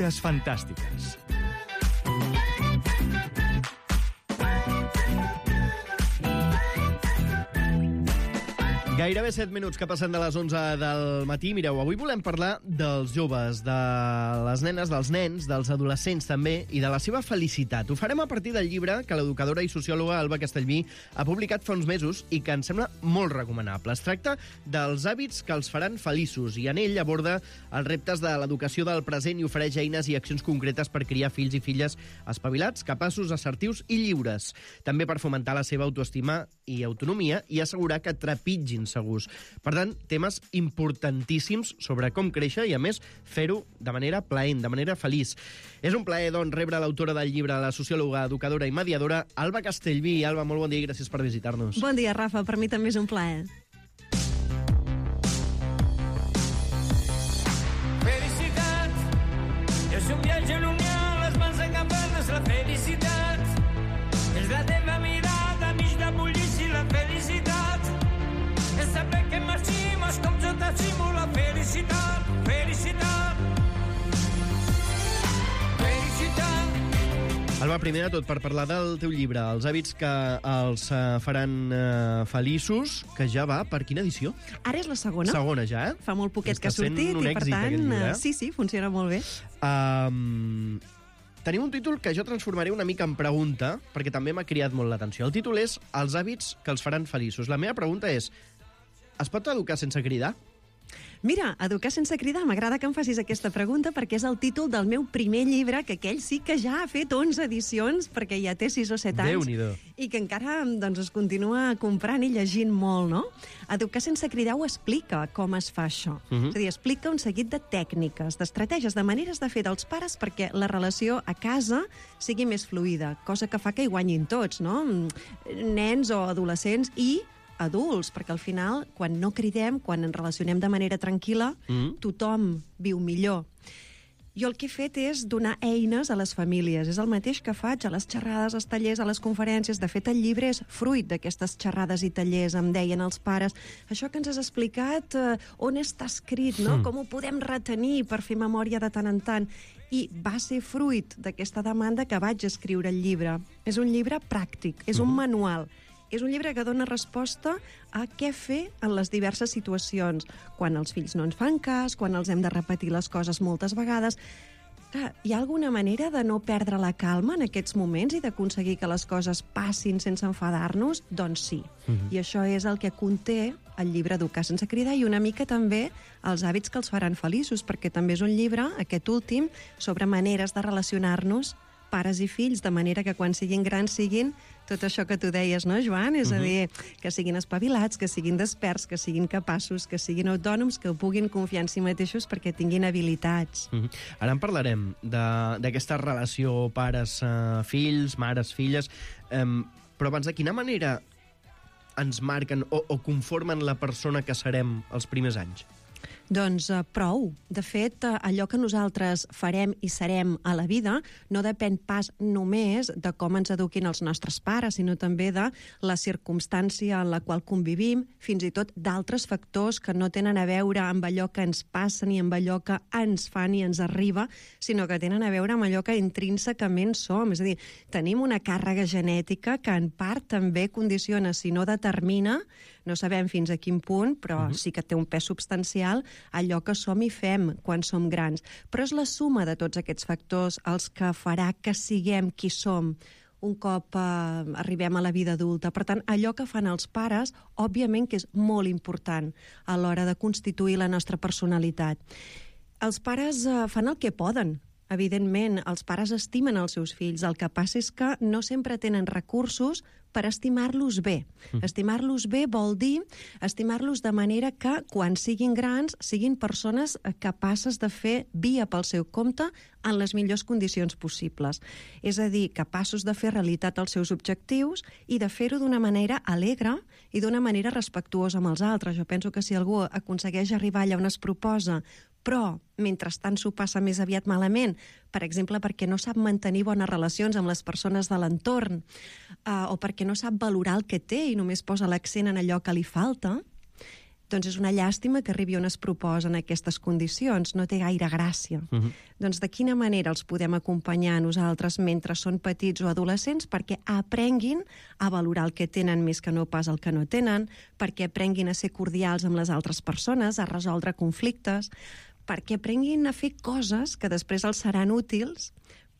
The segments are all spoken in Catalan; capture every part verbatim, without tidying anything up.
Criatures fantàstiques. Gairebé set minuts que passen de les onze del matí. Mireu, avui volem parlar dels joves, de les nenes, dels nens, dels adolescents també, i de la seva felicitat. Ho farem a partir del llibre que l'educadora i sociòloga Alba Castellví ha publicat fa uns mesos i que ens sembla molt recomanable. Es tracta dels hàbits que els faran feliços i en ell aborda els reptes de l'educació del present i ofereix eines i accions concretes per criar fills i filles espavilats, capaços, assertius i lliures. També per fomentar la seva autoestima i autonomia i assegurar que trepitgin segurs. Per tant, temes importantíssims sobre com créixer i, a més, fer-ho de manera plaent, de manera feliç. És un plaer, doncs, rebre l'autora del llibre, la sociòloga, educadora i mediadora, Alba Castellví. Alba, molt bon dia i gràcies per visitar-nos. Bon dia, Rafa. Per mi també és un plaer. Felicitat és un viatge llunyà, les mans encampades, la felicitat és la teva mirada, mig de bullici, la felicitat és saber que marximos com jo t'estimo, la felicitat, felicitat, felicitat. Alba, primer de tot, per parlar del teu llibre, els hàbits que els uh, faran uh, feliços, que ja va per quina edició? Ara és la segona. Segona ja, eh? Fa molt poquet Està que ha sortit un i, per èxit, tant, aquest llibre, eh? sí, sí, funciona molt bé. Um, tenim un títol que jo transformaré una mica en pregunta, perquè també m'ha cridat molt l'atenció. El títol és Els hàbits que els faran feliços. La meva pregunta és: es pot educar sense cridar? Mira, Educar sense cridar, m'agrada que em facis aquesta pregunta perquè és el títol del meu primer llibre, que aquell sí que ja ha fet onze edicions, perquè ja té sis o set anys. Déu-n'hi-do. I que encara doncs, es continua comprant i llegint molt, no? Educar sense cridar ho explica com es fa això. Uh -huh. És a dir, explica un seguit de tècniques, d'estratègies, de maneres de fer dels pares perquè la relació a casa sigui més fluida, cosa que fa que hi guanyin tots, no? Nens o adolescents i adults, perquè al final, quan no cridem, quan ens relacionem de manera tranquil·la, mm. tothom viu millor. Jo el que he fet és donar eines a les famílies. És el mateix que faig a les xerrades, als tallers, a les conferències. De fet, el llibre és fruit d'aquestes xerrades i tallers. Em deien els pares, això que ens has explicat, eh, on està escrit, no? Mm. Com ho podem retenir per fer memòria de tant en tant? I va ser fruit d'aquesta demanda que vaig escriure el llibre. És un llibre pràctic, és un manual. És un llibre que dona resposta a què fer en les diverses situacions. Quan els fills no ens fan cas, quan els hem de repetir les coses moltes vegades. Clar, hi ha alguna manera de no perdre la calma en aquests moments i d'aconseguir que les coses passin sense enfadar-nos? Doncs sí. Uh-huh. I això és el que conté el llibre Educar sense cridar i una mica també els hàbits que els faran feliços, perquè també és un llibre, aquest últim, sobre maneres de relacionar-nos pares i fills, de manera que quan siguin grans siguin tot això que tu deies, no, Joan? És uh-huh. a dir, que siguin espavilats, que siguin desperts, que siguin capaços, que siguin autònoms, que puguin confiar en si mateixos perquè tinguin habilitats. Uh-huh. Ara en parlarem d'aquesta relació pares-fills, mares-filles, um, però abans, de quina manera ens marquen o, o conformen la persona que serem els primers anys? Doncs uh, prou. De fet, uh, allò que nosaltres farem i serem a la vida no depèn pas només de com ens eduquin els nostres pares, sinó també de la circumstància en la qual convivim, fins i tot d'altres factors que no tenen a veure amb allò que ens passa ni amb allò que ens fa ni ens arriba, sinó que tenen a veure amb allò que intrínsecament som. És a dir, tenim una càrrega genètica que en part també condiciona, si no determina, no sabem fins a quin punt, però uh-huh. sí que té un pes substancial, allò que som i fem quan som grans. Però és la suma de tots aquests factors els que farà que siguem qui som un cop eh, arribem a la vida adulta. Per tant, allò que fan els pares, òbviament que és molt important a l'hora de constituir la nostra personalitat. Els pares eh, fan el que poden. Evidentment, els pares estimen els seus fills. El que passa és que no sempre tenen recursos per estimar-los bé. Mm. Estimar-los bé vol dir estimar-los de manera que, quan siguin grans, siguin persones capaces de fer via pel seu compte en les millors condicions possibles. És a dir, capaços de fer realitat els seus objectius i de fer-ho d'una manera alegre i d'una manera respectuosa amb els altres. Jo penso que si algú aconsegueix arribar allà on es proposa, però mentrestant s'ho passa més aviat malament, per exemple, perquè no sap mantenir bones relacions amb les persones de l'entorn, eh, o perquè no sap valorar el que té i només posa l'accent en allò que li falta, doncs és una llàstima que arribi on es proposen aquestes condicions, no té gaire gràcia. Uh-huh. Doncs de quina manera els podem acompanyar a nosaltres mentre són petits o adolescents perquè aprenguin a valorar el que tenen més que no pas el que no tenen, perquè aprenguin a ser cordials amb les altres persones, a resoldre conflictes, perquè aprenguin a fer coses que després els seran útils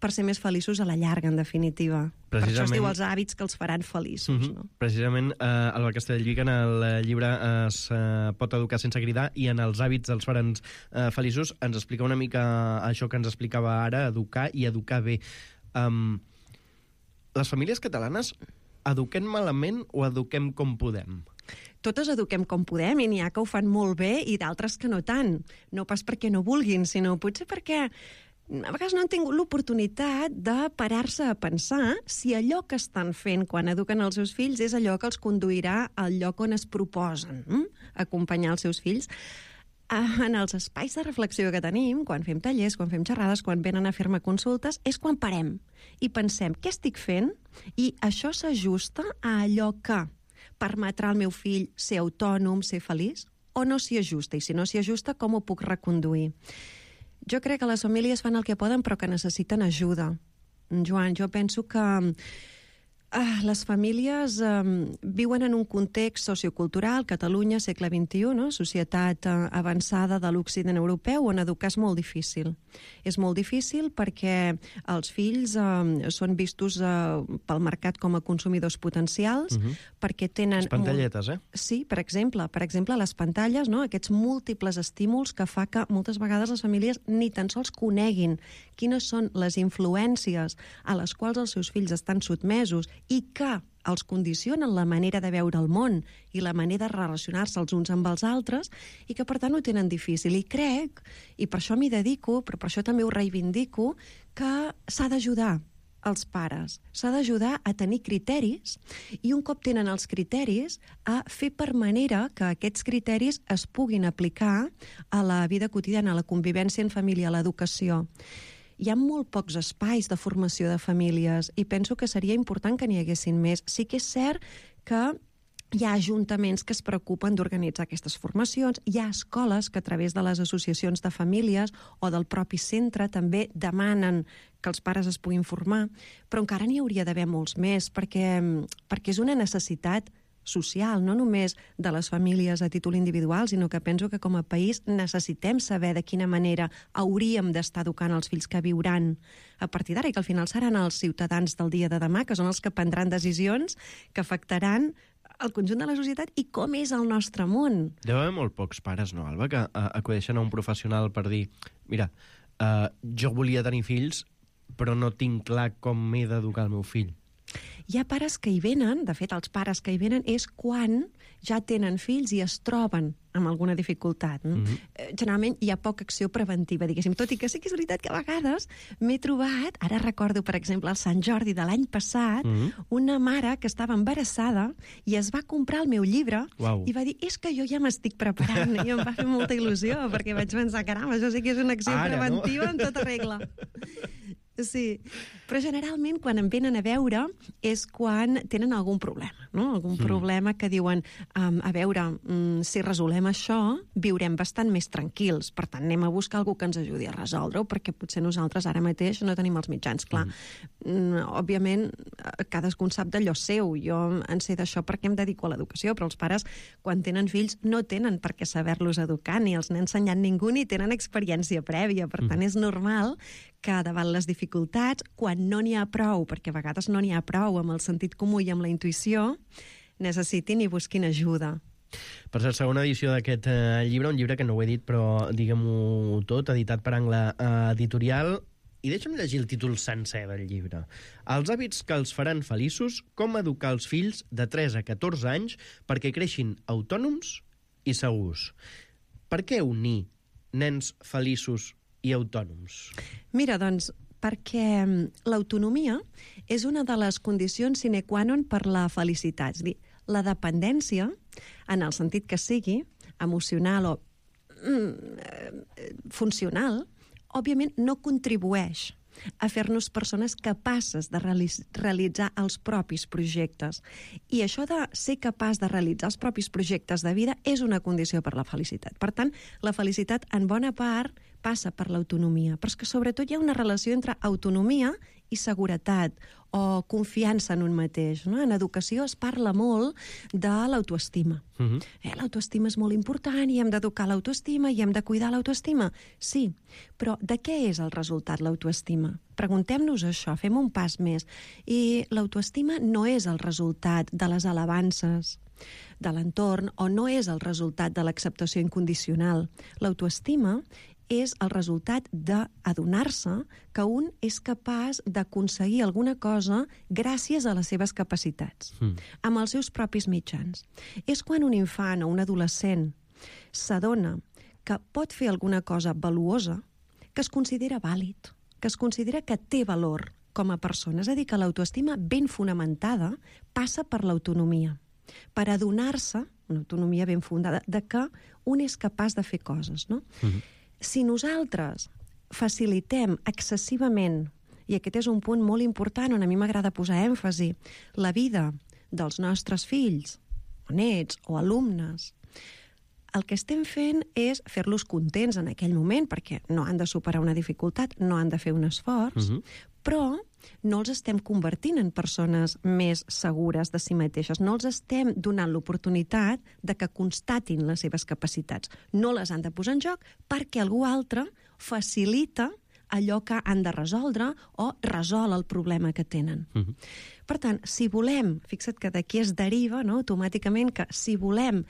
per ser més feliços a la llarga, en definitiva. Per això es diu els hàbits que els faran feliços. Uh-huh. No? Precisament, eh, Alba Castellví, que en el llibre es eh, pot educar sense cridar i en els hàbits els faran eh, feliços, ens explica una mica això que ens explicava ara, educar i educar bé. Um, les famílies catalanes eduquem malament o eduquem com podem? Totes eduquem com podem i n'hi ha que ho fan molt bé i d'altres que no tant. No pas perquè no vulguin, sinó potser perquè a vegades no han tingut l'oportunitat de parar-se a pensar si allò que estan fent quan eduquen els seus fills és allò que els conduirà al lloc on es proposen hm? acompanyar els seus fills. En els espais de reflexió que tenim, quan fem tallers, quan fem xerrades, quan venen a fer-me consultes, és quan parem i pensem què estic fent i això s'ajusta a allò que permetrà al meu fill ser autònom, ser feliç, o no s'hi ajusta? I si no s'hi ajusta, com ho puc reconduir? Jo crec que les famílies fan el que poden, però que necessiten ajuda. Joan, jo penso que ah, les famílies eh, viuen en un context sociocultural, Catalunya, segle vint-i-u, no? Societat eh, avançada de l'Occident europeu, on educar és molt difícil. És molt difícil perquè els fills eh, són vistos eh, pel mercat com a consumidors potencials, uh-huh. perquè tenen... Les pantalletes, eh? Sí, per exemple, per exemple, les pantalles, no? Aquests múltiples estímuls que fa que moltes vegades les famílies ni tan sols coneguin quines són les influències a les quals els seus fills estan sotmesos i que els condicionen la manera de veure el món i la manera de relacionar-se els uns amb els altres i que, per tant, ho tenen difícil. I crec, i per això m'hi dedico, però per això també ho reivindico, que s'ha d'ajudar els pares. S'ha d'ajudar a tenir criteris i un cop tenen els criteris a fer per manera que aquests criteris es puguin aplicar a la vida quotidiana, a la convivència en família, a l'educació. Hi ha molt pocs espais de formació de famílies i penso que seria important que n'hi haguessin més. Sí que és cert que hi ha ajuntaments que es preocupen d'organitzar aquestes formacions, hi ha escoles que a través de les associacions de famílies o del propi centre també demanen que els pares es puguin formar, però encara n'hi hauria d'haver molts més perquè, perquè és una necessitat social, no només de les famílies a títol individual, sinó que penso que com a país necessitem saber de quina manera hauríem d'estar educant els fills que viuran a partir d'ara i que al final seran els ciutadans del dia de demà, que són els que prendran decisions que afectaran el conjunt de la societat i com és el nostre món. Deu haver molt pocs pares, no, Alba, que uh, acudeixen a un professional per dir mira, uh, jo volia tenir fills, però no tinc clar com m'he d'educar el meu fill. Hi ha pares que hi venen, de fet, els pares que hi venen és quan ja tenen fills i es troben amb alguna dificultat. Mm-hmm. Generalment hi ha poca acció preventiva, diguéssim, tot i que sí que és veritat que a vegades m'he trobat, ara recordo, per exemple, el Sant Jordi de l'any passat, mm-hmm. una mare que estava embarassada i es va comprar el meu llibre Uau. I va dir, és que jo ja m'estic preparant, i em va fer molta il·lusió, perquè vaig pensar, caram, això sí que és una acció ara, preventiva, no? En tota regla. Sí, però generalment quan em venen a veure és quan tenen algun problema, no? Algun mm. problema que diuen, um, a veure, um, si resolem això, viurem bastant més tranquils, per tant anem a buscar algú que ens ajudi a resoldre-ho, perquè potser nosaltres ara mateix no tenim els mitjans, clar. Mm. Òbviament, cadascú sap d'allò seu, jo en sé d'això perquè em dedico a l'educació, però els pares, quan tenen fills, no tenen per què saber-los educar, ni els n'ha ensenyat ningú, ni tenen experiència prèvia, per tant és normal que davant les dificultats, quan no n'hi ha prou, perquè a vegades no n'hi ha prou amb el sentit comú i amb la intuïció, necessitin i busquin ajuda. Per ser segona edició d'aquest eh, llibre, un llibre que no ho he dit, però diguem-ho tot, editat per Angle eh, Editorial, i deixa'm llegir el títol sencer del llibre. Els hàbits que els faran feliços, com educar els fills de tres a catorze anys perquè creixin autònoms i segurs. Per què unir nens feliços i autònoms? Mira, doncs, perquè l'autonomia és una de les condicions sine qua non per la felicitat. És a dir, la dependència, en el sentit que sigui, emocional o mm, funcional, òbviament no contribueix a fer-nos persones capaces de realitzar els propis projectes. I això de ser capaç de realitzar els propis projectes de vida és una condició per la felicitat. Per tant, la felicitat en bona part passa per l'autonomia, però és que sobretot hi ha una relació entre autonomia i seguretat o confiança en un mateix. No? En educació es parla molt de l'autoestima. Uh-huh. eh, l'autoestima és molt important i hem d'educar l'autoestima i hem de cuidar l'autoestima. Sí, però de què és el resultat l'autoestima? Preguntem-nos això, fem un pas més. I l'autoestima no és el resultat de les alabances de l'entorn o no és el resultat de l'acceptació incondicional. L'autoestima és el resultat d'adonar-se que un és capaç d'aconseguir alguna cosa gràcies a les seves capacitats, mm. amb els seus propis mitjans. És quan un infant o un adolescent s'adona que pot fer alguna cosa valuosa, que es considera vàlid, que es considera que té valor com a persona. És a dir, que l'autoestima ben fonamentada passa per l'autonomia, per adonar-se, una autonomia ben fundada, de que un és capaç de fer coses, no? Mm-hmm. Si nosaltres facilitem excessivament, i aquest és un punt molt important on a mi m'agrada posar èmfasi, la vida dels nostres fills, o nets, o alumnes, el que estem fent és fer-los contents en aquell moment, perquè no han de superar una dificultat, no han de fer un esforç, uh-huh. però no els estem convertint en persones més segures de si mateixes. No els estem donant l'oportunitat de que constatin les seves capacitats. No les han de posar en joc perquè algú altre facilita allò que han de resoldre o resol el problema que tenen. Uh-huh. Per tant, si volem, fixa't que d'aquí es deriva, no, automàticament, que si volem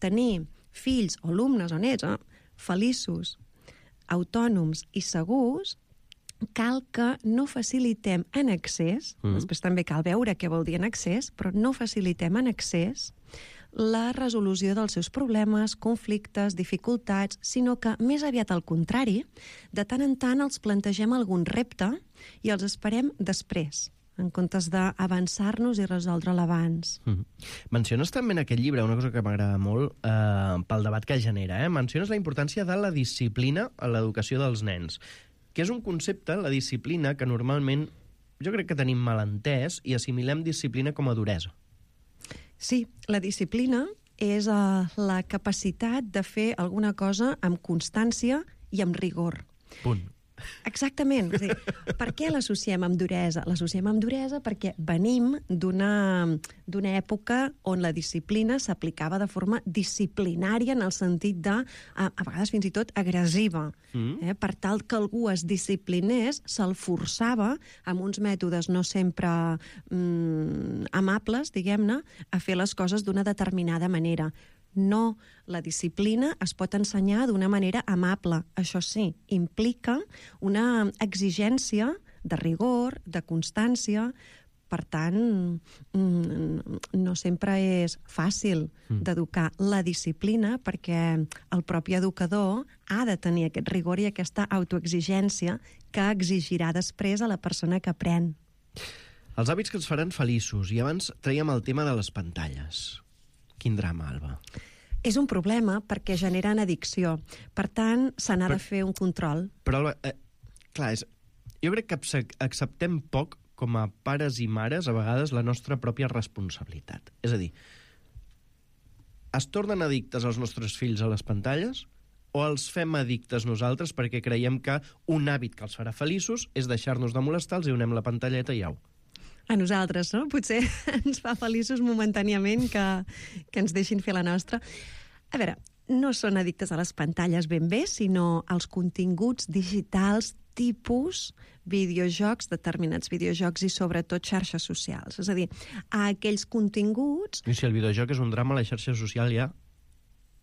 tenir fills o alumnes o nets eh, feliços, autònoms i segurs, cal que no facilitem en excés, mm. després també cal veure què vol dir en excés, però no facilitem en excés la resolució dels seus problemes, conflictes, dificultats, sinó que més aviat al contrari, de tant en tant els plantegem algun repte i els esperem després, en comptes d'avançar-nos i resoldre'l abans. Mm. Menciones també en aquest llibre una cosa que m'agrada molt eh, pel debat que genera. Eh? Menciones la importància de la disciplina a l'educació dels nens, que és un concepte, la disciplina, que normalment jo crec que tenim mal entès i assimilem disciplina com a duresa. Sí, la disciplina és uh, la capacitat de fer alguna cosa amb constància i amb rigor. Punt. Exactament. És a dir, per què l'associem amb duresa? L'associem amb duresa perquè venim d'una d'una època on la disciplina s'aplicava de forma disciplinària en el sentit de, a, a vegades fins i tot, agressiva. Mm. Eh? Per tal que algú es disciplinés, se'l forçava amb uns mètodes no sempre mm, amables, diguem-ne, a fer les coses d'una determinada manera. No, la disciplina es pot ensenyar d'una manera amable. Això sí, implica una exigència de rigor, de constància. Per tant, no sempre és fàcil d'educar la disciplina perquè el propi educador ha de tenir aquest rigor i aquesta autoexigència que exigirà després a la persona que aprèn. Els hàbits que ens faran feliços. I abans traiem el tema de les pantalles. Quin drama, Alba. És un problema perquè generen addicció. Per tant, se n'ha de fer un control. Però, Alba, eh, clar, és, jo crec que acceptem poc com a pares i mares, a vegades, la nostra pròpia responsabilitat. És a dir, es tornen addictes els nostres fills a les pantalles o els fem addictes nosaltres perquè creiem que un hàbit que els farà feliços és deixar-nos de molestar, els hi donem la pantalleta i au. A nosaltres, no? Potser ens fa feliços momentàniament que, que ens deixin fer la nostra. A veure, no són addictes a les pantalles ben bé, sinó als continguts digitals tipus videojocs, determinats videojocs i sobretot xarxes socials. És a dir, a aquells continguts... I si el videojoc és un drama, la xarxa social ja...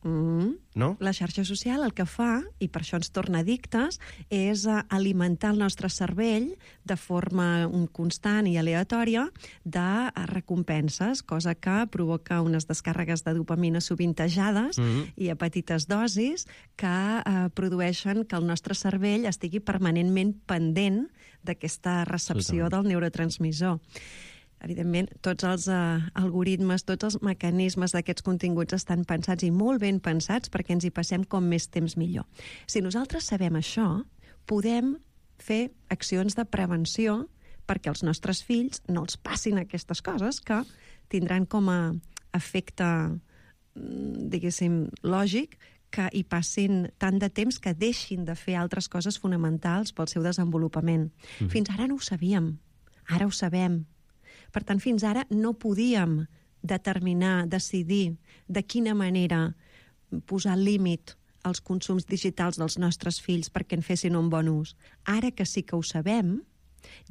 Mm. No? La xarxa social el que fa, i per això ens torna addictes, és alimentar el nostre cervell de forma constant i aleatòria de recompenses, cosa que provoca unes descàrregues de dopamina sovintejades mm-hmm. i a petites dosis que eh, produeixen que el nostre cervell estigui permanentment pendent d'aquesta recepció del neurotransmissor. Evidentment, tots els uh, algoritmes, tots els mecanismes d'aquests continguts estan pensats i molt ben pensats perquè ens hi passem com més temps millor. Si nosaltres sabem això, podem fer accions de prevenció perquè els nostres fills no els passin aquestes coses que tindran com a efecte, diguéssim, lògic, que hi passin tant de temps que deixin de fer altres coses fonamentals pel seu desenvolupament. Mm-hmm. Fins ara no ho sabíem, ara ho sabem. Per tant, fins ara no podíem determinar, decidir de quina manera posar límit als consums digitals dels nostres fills perquè en fessin un bon ús. Ara que sí que ho sabem,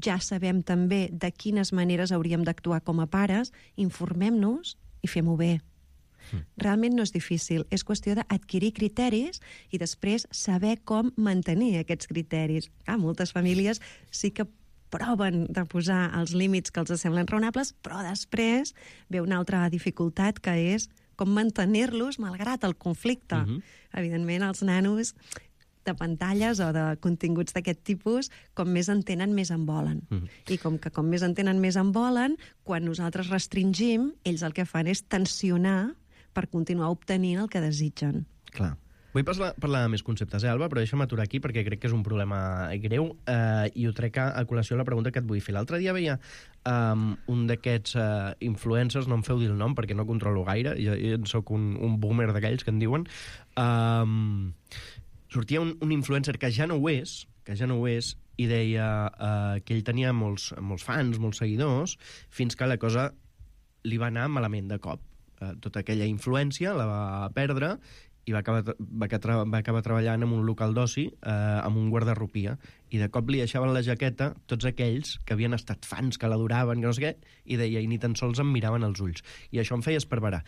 ja sabem també de quines maneres hauríem d'actuar com a pares, informem-nos i fem-ho bé. Realment no és difícil, és qüestió d'adquirir criteris i després saber com mantenir aquests criteris. Ah, moltes famílies sí que proven de posar els límits que els semblen raonables, però després ve una altra dificultat que és com mantenir-los malgrat el conflicte. Uh-huh. Evidentment, els nanos de pantalles o de continguts d'aquest tipus, com més en tenen, més en volen. Uh-huh. I com que com més en tenen, més en volen, quan nosaltres restringim, ells el que fan és tensionar per continuar obtenint el que desitgen. Clar. Vull parlar, parlar de més conceptes, eh, Alba? Però deixa'm aturar aquí perquè crec que és un problema greu eh, i ho trec a, a col·lació la pregunta que et vull fer. L'altre dia veia um, un d'aquests uh, influencers, no em feu dir el nom perquè no controlo gaire, jo, jo soc un, un boomer d'aquells que en diuen, um, sortia un, un influencer que ja no ho és, que ja no ho és, i deia uh, que ell tenia molts, molts fans, molts seguidors, fins que la cosa li va anar malament de cop. Tota aquella influència la va perdre i va acabar, va acabar, va acabar treballant en un local d'oci eh, amb un guardarropia, i de cop li deixaven la jaqueta tots aquells que havien estat fans, que l'adoraven, que no sé què, i deia, i ni tan sols em miraven als ulls. I això em feia esparverar.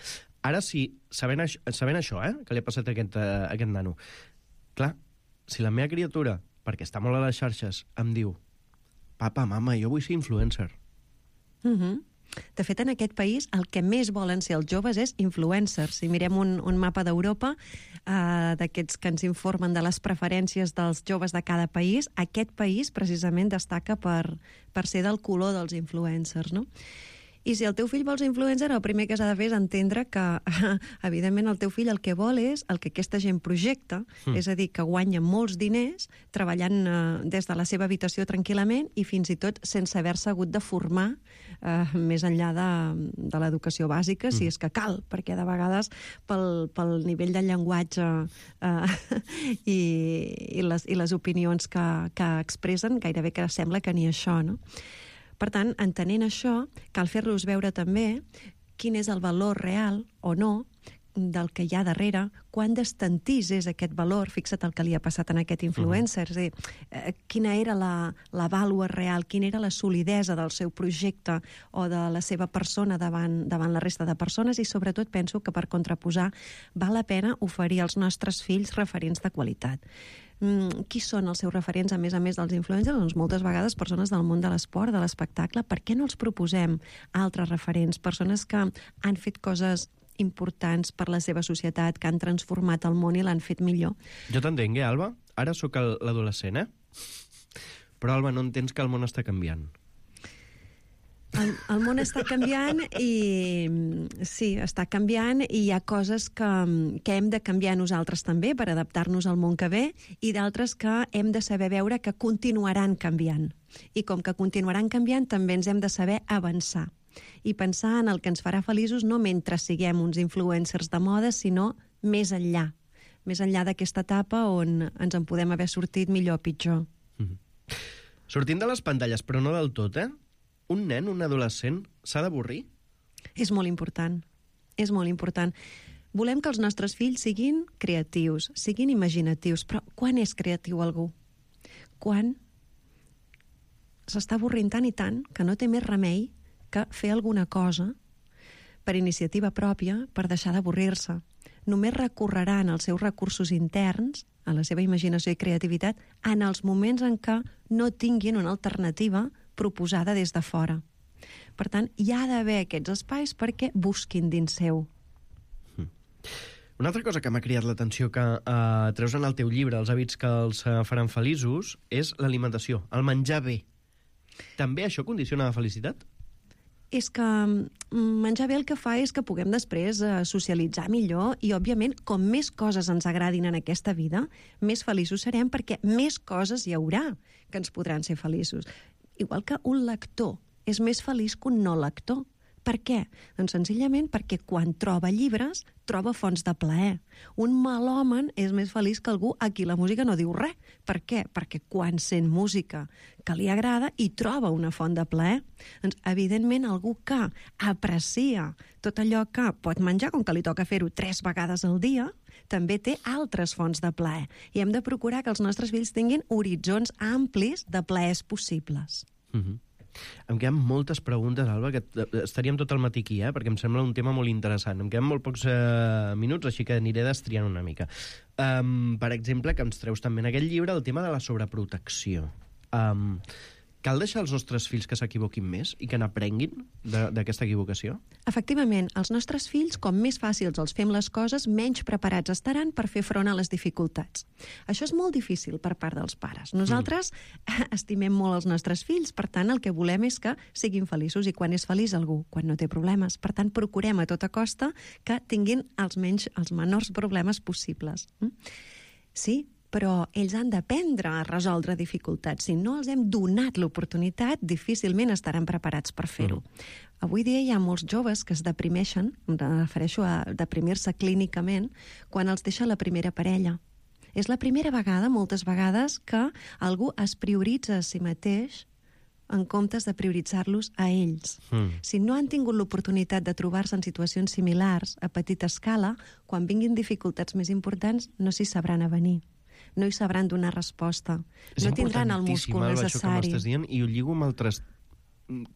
Ara sí, sabent, això, sabent això, eh, que li ha passat a aquest, a aquest nano, clar, si la meva criatura, perquè està molt a les xarxes, em diu, papa, mama, jo vull ser influencer. Mhm. Mm De fet, en aquest país el que més volen ser els joves és influencers. Si mirem un, un mapa d'Europa, eh, d'aquests que ens informen de les preferències dels joves de cada país, aquest país precisament destaca per, per ser del color dels influencers, no? I si el teu fill vol ser influencer, el primer que s'ha de fer és entendre que, evidentment, el teu fill el que vol és el que aquesta gent projecta, mm. és a dir, que guanya molts diners treballant eh, des de la seva habitació tranquil·lament i fins i tot sense haver-se hagut de formar eh, més enllà de, de l'educació bàsica, mm. si és que cal, perquè de vegades pel, pel nivell de llenguatge eh, i, i, les, i les opinions que, que expressen, gairebé que sembla que ni això, no? Per tant, entenent això, cal fer-los veure també quin és el valor real o no del que hi ha darrere, quan d'estantís és aquest valor, fixa't el que li ha passat a aquest influencer, uh-huh. és a dir, eh, quina era la, la vàlua real, quina era la solidesa del seu projecte o de la seva persona davant, davant la resta de persones, i sobretot penso que per contraposar val la pena oferir als nostres fills referents de qualitat. Mm, qui són els seus referents, a més a més dels influencers? Doncs moltes vegades persones del món de l'esport, de l'espectacle. Per què no els proposem altres referents? Persones que han fet coses importants per la seva societat, que han transformat el món i l'han fet millor. Jo t'entenc, eh, Alba? Ara sóc l'adolescent, eh? Però, Alba, no entens que el món està canviant. El, el món està canviant i sí, està canviant i hi ha coses que, que hem de canviar nosaltres també per adaptar-nos al món que ve, i d'altres que hem de saber veure que continuaran canviant. I com que continuaran canviant, també ens hem de saber avançar i pensar en el que ens farà feliços no mentre siguem uns influencers de moda, sinó més enllà, més enllà d'aquesta etapa on ens en podem haver sortit millor o pitjor. Mm-hmm. Sortint de les pantalles, però no del tot, eh? Un nen, un adolescent, s'ha d'avorrir? És molt important, és molt important. Volem que els nostres fills siguin creatius, siguin imaginatius, però quan és creatiu algú? Quan s'està avorrint tant i tant que no té més remei que fer alguna cosa per iniciativa pròpia per deixar d'avorrir-se. Només recorreran als seus recursos interns, a la seva imaginació i creativitat, en els moments en què no tinguin una alternativa proposada des de fora. Per tant, hi ha d'haver aquests espais perquè busquin dins seu. Mm. Una altra cosa que m'ha cridat l'atenció que eh, treus en el teu llibre, els hàbits que els eh, faran feliços, és l'alimentació, el menjar bé. També això condiciona la felicitat? és que menjar bé el que fa és que puguem després eh, socialitzar millor i, òbviament, com més coses ens agradin en aquesta vida, més feliços serem perquè més coses hi haurà que ens podran ser feliços. Igual que un lector és més feliç que un no lector. Per què? Doncs senzillament perquè quan troba llibres, troba fonts de plaer. Un melòman és més feliç que algú a qui la música no diu res. Per què? Perquè quan sent música que li agrada i troba una font de plaer. Doncs, evidentment, algú que aprecia tot allò que pot menjar, com que li toca fer-ho tres vegades al dia, també té altres fonts de plaer. I hem de procurar que els nostres fills tinguin horitzons amplis de plaers possibles. Mhm. Em queden moltes preguntes, Alba, que estaríem tot el matí aquí, eh? Perquè em sembla un tema molt interessant. Em queden molt pocs eh, minuts, així que aniré destriant una mica. Um, per exemple, que ens treus també en aquest llibre el tema de la sobreprotecció. Um, cal deixar els nostres fills que s'equivoquin més i que n'aprenguin d'aquesta equivocació? Efectivament, els nostres fills, com més fàcils els fem les coses, menys preparats estaran per fer front a les dificultats. Això és molt difícil per part dels pares. Nosaltres mm. estimem molt els nostres fills, per tant, el que volem és que siguin feliços, i quan és feliç algú, quan no té problemes. Per tant, procurem a tota costa que tinguin els, menys, els menors problemes possibles. Sí, però ells han d'aprendre a resoldre dificultats. Si no els hem donat l'oportunitat, difícilment estaran preparats per fer-ho. Mm. Avui dia hi ha molts joves que es deprimeixen, em refereixo a deprimir-se clínicament, quan els deixa la primera parella. És la primera vegada, moltes vegades, que algú es prioritza a si mateix en comptes de prioritzar-los a ells. Mm. Si no han tingut l'oportunitat de trobar-se en situacions similars, a petita escala, quan vinguin dificultats més importants, no s'hi sabran avenir. No hi sabran donar resposta. És no tindran el múscul necessari. Això que m'estàs dient, i ho lligo amb altres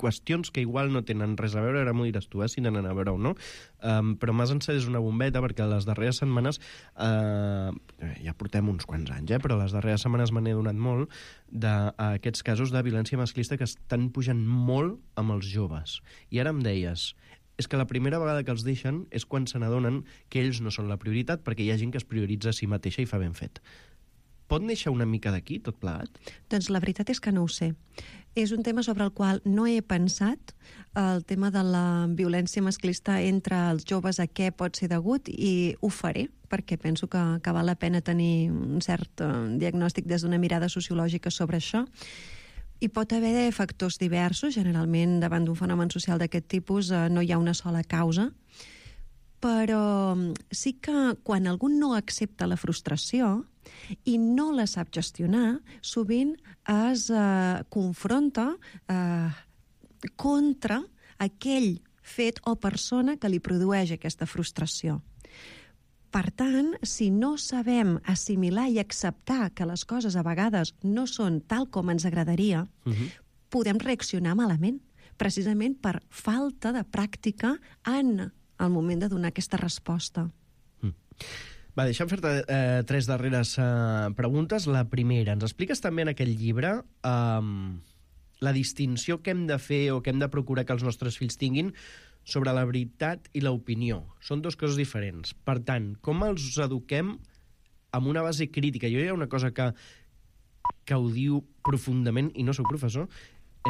qüestions que igual no tenen res a veure, ara m'ho diràs tu, eh, si tenen a veure o no, um, però m'has encès una bombeta perquè les darreres setmanes, uh, ja portem uns quants anys, eh, però les darreres setmanes me n'he donat molt d'aquests casos de violència masclista que estan pujant molt amb els joves. I ara em deies, és que la primera vegada que els deixen és quan se n'adonen que ells no són la prioritat, perquè hi ha gent que es prioritza a si mateixa i fa ben fet. Pot néixer una mica d'aquí, tot plegat? Doncs la veritat és que no ho sé. És un tema sobre el qual no he pensat, el tema de la violència masclista entre els joves, a què pot ser degut, i ho faré, perquè penso que, que val la pena tenir un cert uh, diagnòstic des d'una mirada sociològica sobre això. Hi pot haver factors diversos, generalment davant d'un fenomen social d'aquest tipus uh, no hi ha una sola causa, però sí que quan algú no accepta la frustració i no la sap gestionar, sovint es eh, confronta eh, contra aquell fet o persona que li produeix aquesta frustració. Per tant, si no sabem assimilar i acceptar que les coses a vegades no són tal com ens agradaria, uh-huh. podem reaccionar malament, precisament per falta de pràctica en al moment de donar aquesta resposta. Mm. Va, deixa'm fer-te eh, tres darreres eh, preguntes. La primera, ens expliques també en aquest llibre eh, la distinció que hem de fer o que hem de procurar que els nostres fills tinguin sobre la veritat i l'opinió. Són dues coses diferents. Per tant, com els eduquem amb una base crítica? Jo hi ha una cosa que, que ho diu profundament, i no sóc professor,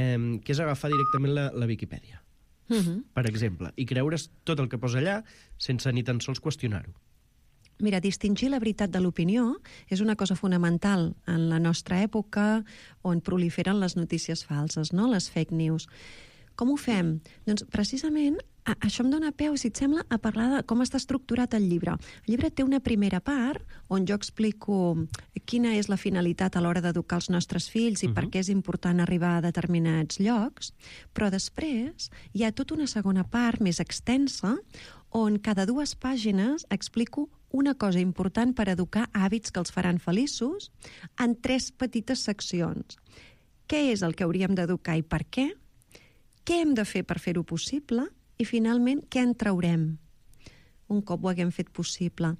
eh, que és agafar directament la, la Viquipèdia. Uh-huh. Per exemple, i creure's tot el que posa allà sense ni tan sols qüestionar-ho. Mira, distingir la veritat de l'opinió és una cosa fonamental en la nostra època on proliferen les notícies falses, no? Les fake news. Com ho fem? Doncs precisament a, això em dona peu, si et sembla, a parlar de com està estructurat el llibre. El llibre té una primera part on jo explico quina és la finalitat a l'hora d'educar els nostres fills i uh-huh. per què és important arribar a determinats llocs, però després hi ha tota una segona part més extensa on cada dues pàgines explico una cosa important per educar hàbits que els faran feliços en tres petites seccions. Què és el que hauríem d'educar i per què? Què hem de fer per fer-ho possible? I, finalment, què en traurem un cop ho haguem fet possible?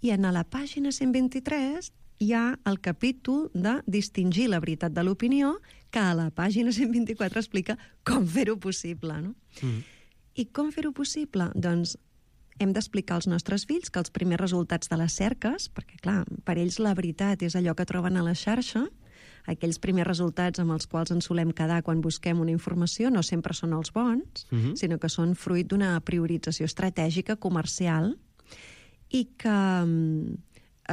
I en la pàgina cent vint-i-tres hi ha el capítol de distingir la veritat de l'opinió, que a la pàgina cent vint-i-quatre explica com fer-ho possible, no? Mm. I com fer-ho possible? Doncs hem d'explicar als nostres fills que els primers resultats de les cerques, perquè, clar, per ells la veritat és allò que troben a la xarxa, aquells primers resultats amb els quals ens solem quedar quan busquem una informació no sempre són els bons, uh-huh. sinó que són fruit d'una priorització estratègica comercial i que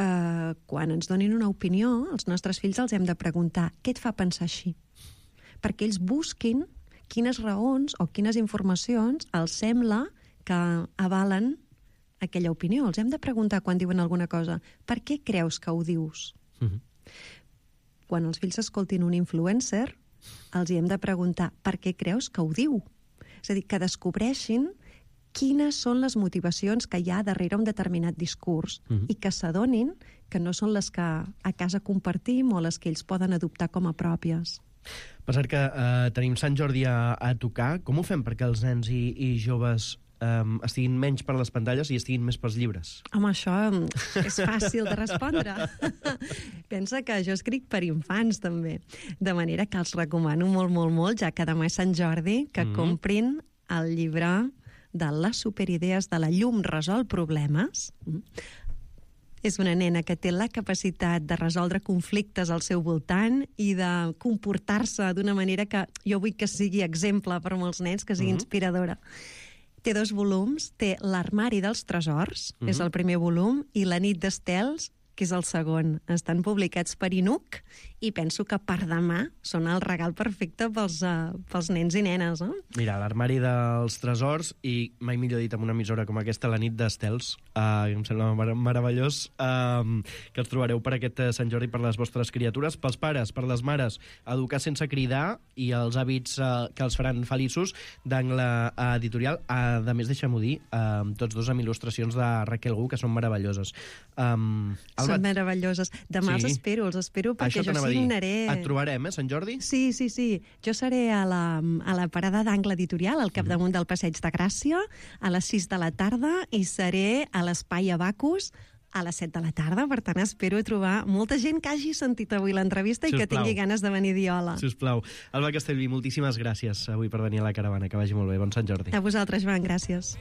eh, quan ens donin una opinió, els nostres fills els hem de preguntar què et fa pensar així? Perquè ells busquin quines raons o quines informacions els sembla que avalen aquella opinió. Els hem de preguntar quan diuen alguna cosa, per què creus que ho dius? Uh-huh. Quan els fills escoltin un influencer, els hi hem de preguntar per què creus que ho diu? És a dir, que descobreixin quines són les motivacions que hi ha darrere un determinat discurs uh-huh. i que s'adonin que no són les que a casa compartim o les que ells poden adoptar com a pròpies. Per cert que eh, tenim Sant Jordi a, a tocar. Com ho fem perquè els nens i, i joves um, estiguin menys per les pantalles i estiguin més pels llibres? Home, això és fàcil de respondre. Pensa que jo escric per infants, també. De manera que els recomano molt, molt, molt, ja que demà és Sant Jordi, que mm-hmm. comprin el llibre de les superidees de la llum resol problemes. És una nena que té la capacitat de resoldre conflictes al seu voltant i de comportar-se d'una manera que jo vull que sigui exemple per molts nens, que sigui mm-hmm. inspiradora. Té dos volums, té L'armari dels tresors, mm-hmm. és el primer volum, i La nit d'estels, que és el segon. Estan publicats per I N U C i penso que per demà són el regal perfecte pels, uh, pels nens i nenes. Eh? Mira, L'armari dels tresors i, mai millor dit, amb una emissora com aquesta, La nit d'estels, uh, em sembla mar meravellós, uh, que els trobareu per aquest Sant Jordi per les vostres criatures. Pels pares, per les mares, Educar sense cridar i els hàbits uh, que els faran feliços, d'Angle Editorial. Uh, a més, deixa'm-ho dir, uh, tots dos amb il·lustracions de Raquel Gu, que són meravelloses. Um, Són meravelloses. Demà sí. els espero, els espero perquè Això jo signaré... Et trobarem, eh, Sant Jordi? Sí, sí, sí. Jo seré a la, a la parada d'Angle Editorial, al capdamunt del Passeig de Gràcia, a les sis de la tarda, i seré a l'Espai Abacus a les set de la tarda. Per tant, espero trobar molta gent que hagi sentit avui l'entrevista i que tingui ganes de venir a dir hola. Sisplau. Alba Castellví, moltíssimes gràcies avui per venir a la caravana. Que vagi molt bé. Bon Sant Jordi. A vosaltres, Joan, gràcies.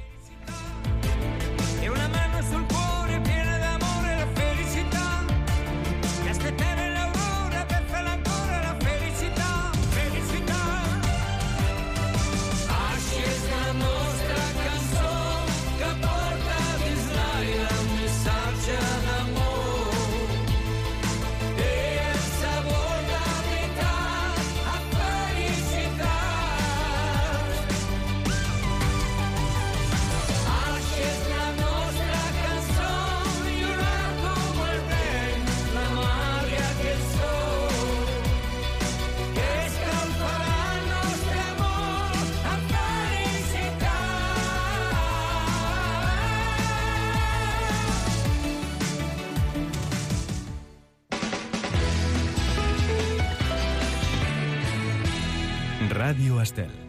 Ràdio Estel.